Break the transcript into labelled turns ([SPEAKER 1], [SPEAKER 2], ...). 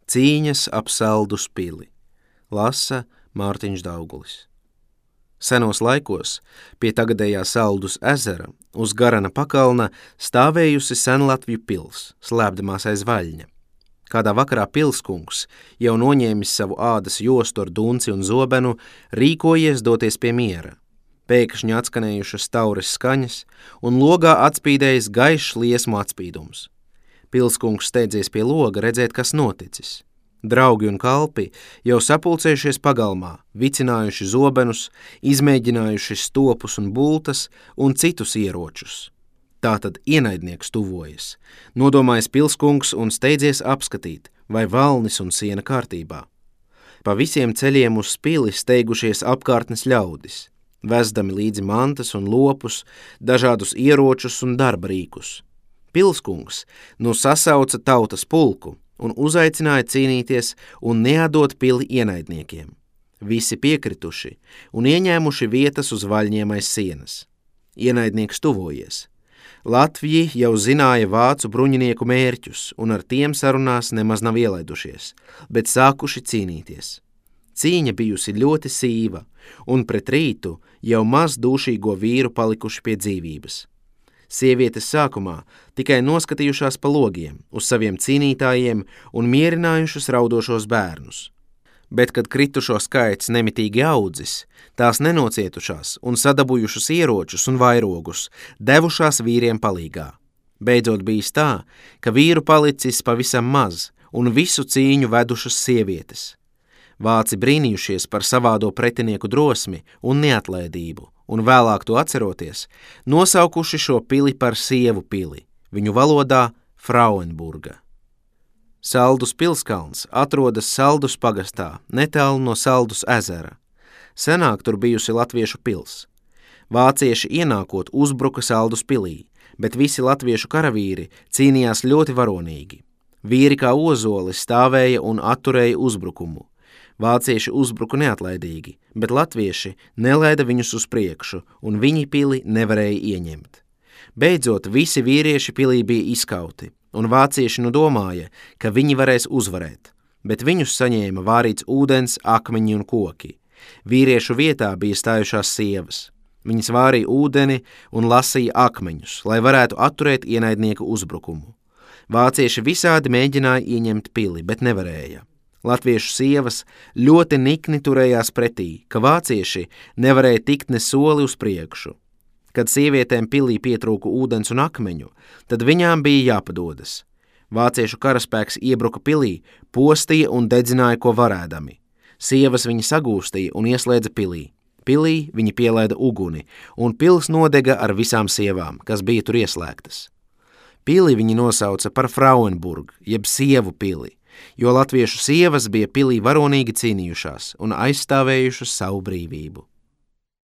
[SPEAKER 1] Cīņas ap Saldus pili. Lasa Mārtiņš Daugulis. Senos laikos pie tagadējā Saldus ezera uz Garana pakalna stāvējusi Senlatvju pils, slēpdamās aiz vaļņa. Kādā vakarā pilskungs, jau noņēmis savu ādas jostu ar dunci un zobenu, rīkojies doties pie miera. Pēkšņi atskanējušas taures skaņas un logā atspīdējis gaišs liesmu atspīdums. Pilskungs steidzies pie loga redzēt, kas noticis. Draugi un kalpi jau sapulcējušies pagalmā, vicinājuši zobenus, izmēģinājuši stopus un bultas un citus ieročus. Tātad ienaidnieks tuvojas, nodomājis pilskungs un steidzies apskatīt, vai valnis un siena kārtībā. Pa visiem ceļiem uz pili steigušies apkārtnes ļaudis, vezdami līdzi mantas un lopus, dažādus ieročus un darba rīkus. Pilskungs nu sasauca tautas pulku un uzaicināja cīnīties un neatdot pili ienaidniekiem. Visi piekrituši un ieņēmuši vietas uz vaļņiem aiz sienas. Ienaidnieks tuvojies. Latviji jau zināja vācu bruņinieku mērķus un ar tiem sarunās nemaz nav ielaidušies, bet sākuši cīnīties. Cīņa bijusi ļoti sīva, un pret rītu jau maz dūšīgo vīru palikuši pie dzīvības. Sievietes sākumā tikai noskatījušās pa logiem uz saviem cīnītājiem un mierinājušas raudošos bērnus. Bet, kad kritušo skaits nemitīgi audzis, tās nenocietušās un sadabūjušas ieročus un vairogus, devušās vīriem palīgā. Beidzot bijis tā, ka vīru palicis pavisam maz un visu cīņu vedušas sievietes. Vāci brīnījušies par savādo pretinieku drosmi un neatlaidību, un vēlāk to atceroties, nosaukuši šo pili par sievu pili, viņu valodā Frauenburga. Saldus pilskalns atrodas Saldus pagastā, netālu no Saldus ezera. Senāk tur bijusi latviešu pils. Vācieši ienākot uzbruka Saldus pilī, bet visi latviešu karavīri cīnījās ļoti varonīgi. Vīri kā ozoli stāvēja un atturēja uzbrukumu. Vācieši uzbruka neatlaidīgi, bet latvieši nelaida viņus uz priekšu, un viņi pili nevarēja ieņemt. Beidzot, visi vīrieši pilī bija izkauti, un vācieši nu domāja, ka viņi varēs uzvarēt, bet viņus saņēma vārīts ūdens, akmeņi un koki. Vīriešu vietā bija stājušās sievas. Viņas vārīja ūdeni un lasīja akmeņus, lai varētu atturēt ienaidnieku uzbrukumu. Vācieši visādi mēģināja ieņemt pili, bet nevarēja. Latviešu sievas ļoti nikni turējās pretī, ka vācieši nevarēja tikt ne soli uz priekšu. Kad sievietēm pilī pietrūka ūdens un akmeņu, tad viņām bija jāpadodas. Vāciešu karaspēks iebruka pilī, postīja un dedzināja, ko varēdami. Sievas viņi sagūstīja un ieslēdza pilī. Pilī viņi pielaida uguni, un pils nodega ar visām sievām, kas bija tur ieslēgtas. Pili viņi nosauca par Frauenburg, jeb sievu pili, jo latviešu sievas bija pilī varonīgi cīnījušās un aizstāvējušas savu brīvību.